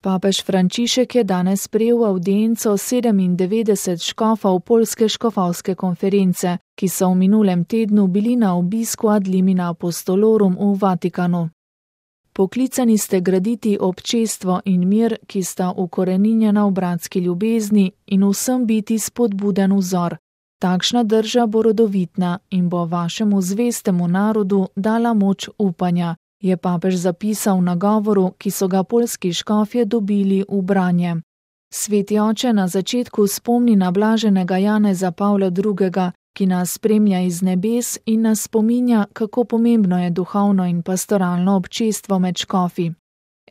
Papež Frančišek je danes sprejel avdienco 97 škofov Poljske škofovske konference, ki so v minulem tednu bili na obisku ad limina apostolorum v Vatikanu. Poklicani ste graditi občestvo in mir, ki sta ukoreninjena v bratski ljubezni in vsem biti spodbuden vzor. Takšna drža bo rodovitna in bo vašemu zvestemu narodu dala moč upanja, je papež zapisal na govoru, ki so ga poljski škofje dobili v branje. Sveti oče na začetku spomni na blaženega Janeza Pavla II., ki nas spremlja iz nebes in nas spominja, kako pomembno je duhovno in pastoralno občestvo med škofi.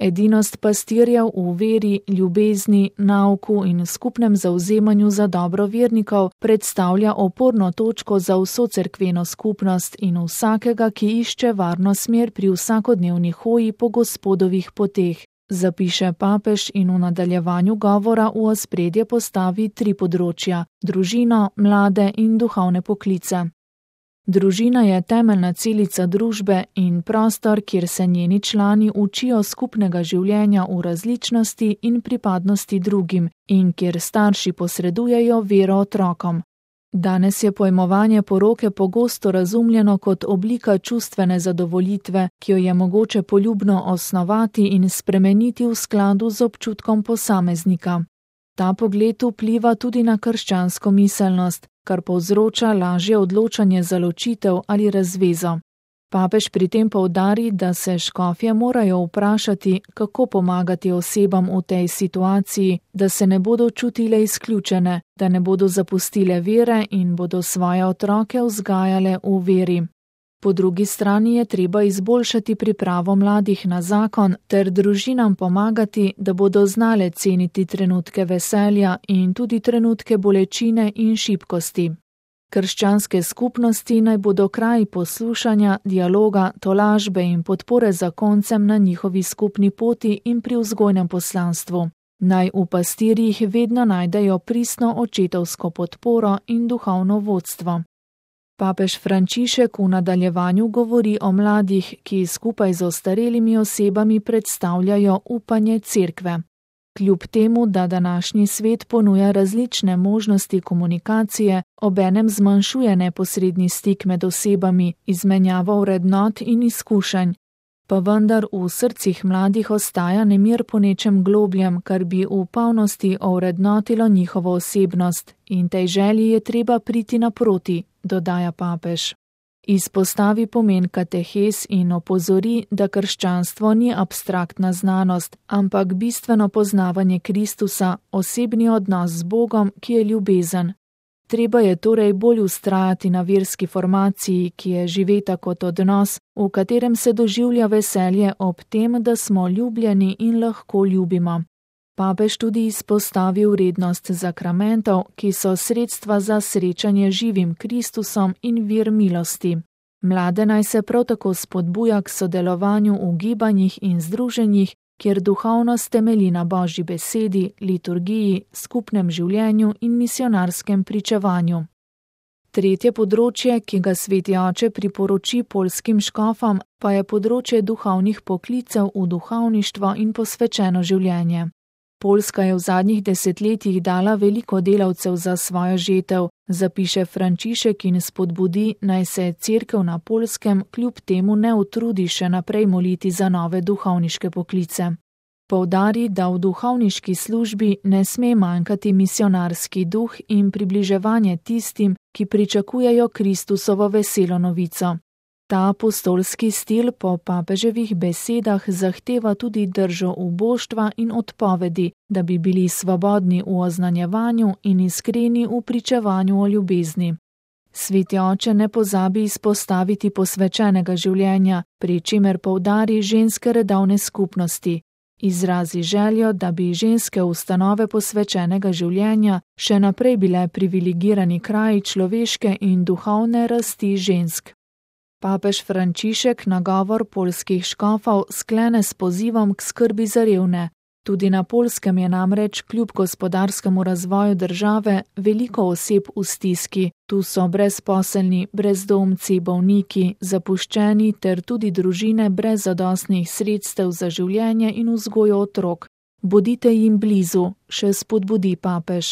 Edinost pastirjev v veri, ljubezni, nauku in skupnem zavzemanju za dobro vernikov predstavlja oporno točko za vso cerkveno skupnost in vsakega, ki išče varno smer pri vsakodnevni hoji po Gospodovih poteh, zapiše papež in v nadaljevanju govora v ospredje postavi 3 področja: družino, mlade in duhovne poklice. Družina je temeljna celica družbe in prostor, kjer se njeni člani učijo skupnega življenja v različnosti in pripadnosti drugim in kjer starši posredujejo vero otrokom. Danes je pojmovanje poroke pogosto razumljeno kot oblika čustvene zadovoljitve, ki jo je mogoče poljubno osnovati in spremeniti v skladu z občutkom posameznika. Ta pogled vpliva tudi na krščansko miselnost, kar povzroča lažje odločanje za ločitev ali razvezo. Papež pri tem poudari, da se škofje morajo vprašati, kako pomagati osebam v tej situaciji, da se ne bodo čutile izključene, da ne bodo zapustile vere in bodo svoje otroke vzgajale v veri. Po drugi strani je treba izboljšati pripravo mladih na zakon ter družinam pomagati, da bodo znale ceniti trenutke veselja in tudi trenutke bolečine in šibkosti. Krščanske skupnosti naj bodo kraji poslušanja, dialoga, tolažbe in podpore zakoncem na njihovi skupni poti in pri vzgojnem poslanstvu. Naj v pastirjih vedno najdejo pristno očetovsko podporo in duhovno vodstvo. Papež Frančišek v nadaljevanju govori o mladih, ki skupaj z ostarelimi osebami predstavljajo upanje cerkve. Kljub temu, da današnji svet ponuja različne možnosti komunikacije, obenem zmanjšuje neposredni stik med osebami, izmenjavo vrednot in izkušenj, pa vendar v srcih mladih ostaja nemir po nečem globljem, kar bi v polnosti ovrednotilo njihovo osebnost, in tej želji je treba priti naproti, dodaja papež. Izpostavi pomen katehes in opozori, da krščanstvo ni abstraktna znanost, ampak bistveno poznavanje Kristusa, osebni odnos z Bogom, ki je ljubezen. Treba je torej bolj vztrajati na verski formaciji, ki je živeta kot odnos, v katerem se doživlja veselje ob tem, da smo ljubljeni in lahko ljubimo. Papež tudi izpostavi vrednost zakramentov, ki so sredstva za srečanje živim Kristusom in vir milosti. Mlade naj se prav tako spodbuja k sodelovanju v gibanjih in združenjih, kjer duhovnost temelji na Božji besedi, liturgiji, skupnem življenju in misionarskem pričevanju. Tretje področje, ki ga sveti oče priporoči poljskim škofom, pa je področje duhovnih poklicev v duhovništvo in posvečeno življenje. Poljska je v zadnjih desetletjih dala veliko delavcev za svojo žetev, zapiše Frančišek in spodbudi, naj se cerkev na Poljskem kljub temu ne utrudi še naprej moliti za nove duhovniške poklice. Poudari, da v duhovniški službi ne sme manjkati misionarski duh in približevanje tistim, ki pričakujejo Kristusovo veselo novico. Ta apostolski stil po papeževih besedah zahteva tudi držo uboštva in odpovedi, da bi bili svobodni v oznanjevanju in iskreni v pričevanju o ljubezni. Sveti oče ne pozabi izpostaviti posvečenega življenja, pri čemer poudari ženske redovne skupnosti. Izrazi željo, da bi ženske ustanove posvečenega življenja še naprej bile privilegirani kraji človeške in duhovne rasti žensk. Papež Frančišek nagovor poljskih škofov sklene s pozivom k skrbi za revne. Tudi na Poljskem je namreč kljub gospodarskemu razvoju države veliko oseb v stiski. Tu so brezposelni, brezdomci, bolniki, zapuščeni ter tudi družine brez zadostnih sredstev za življenje in vzgojo otrok. Bodite jim blizu, še spodbudi papež.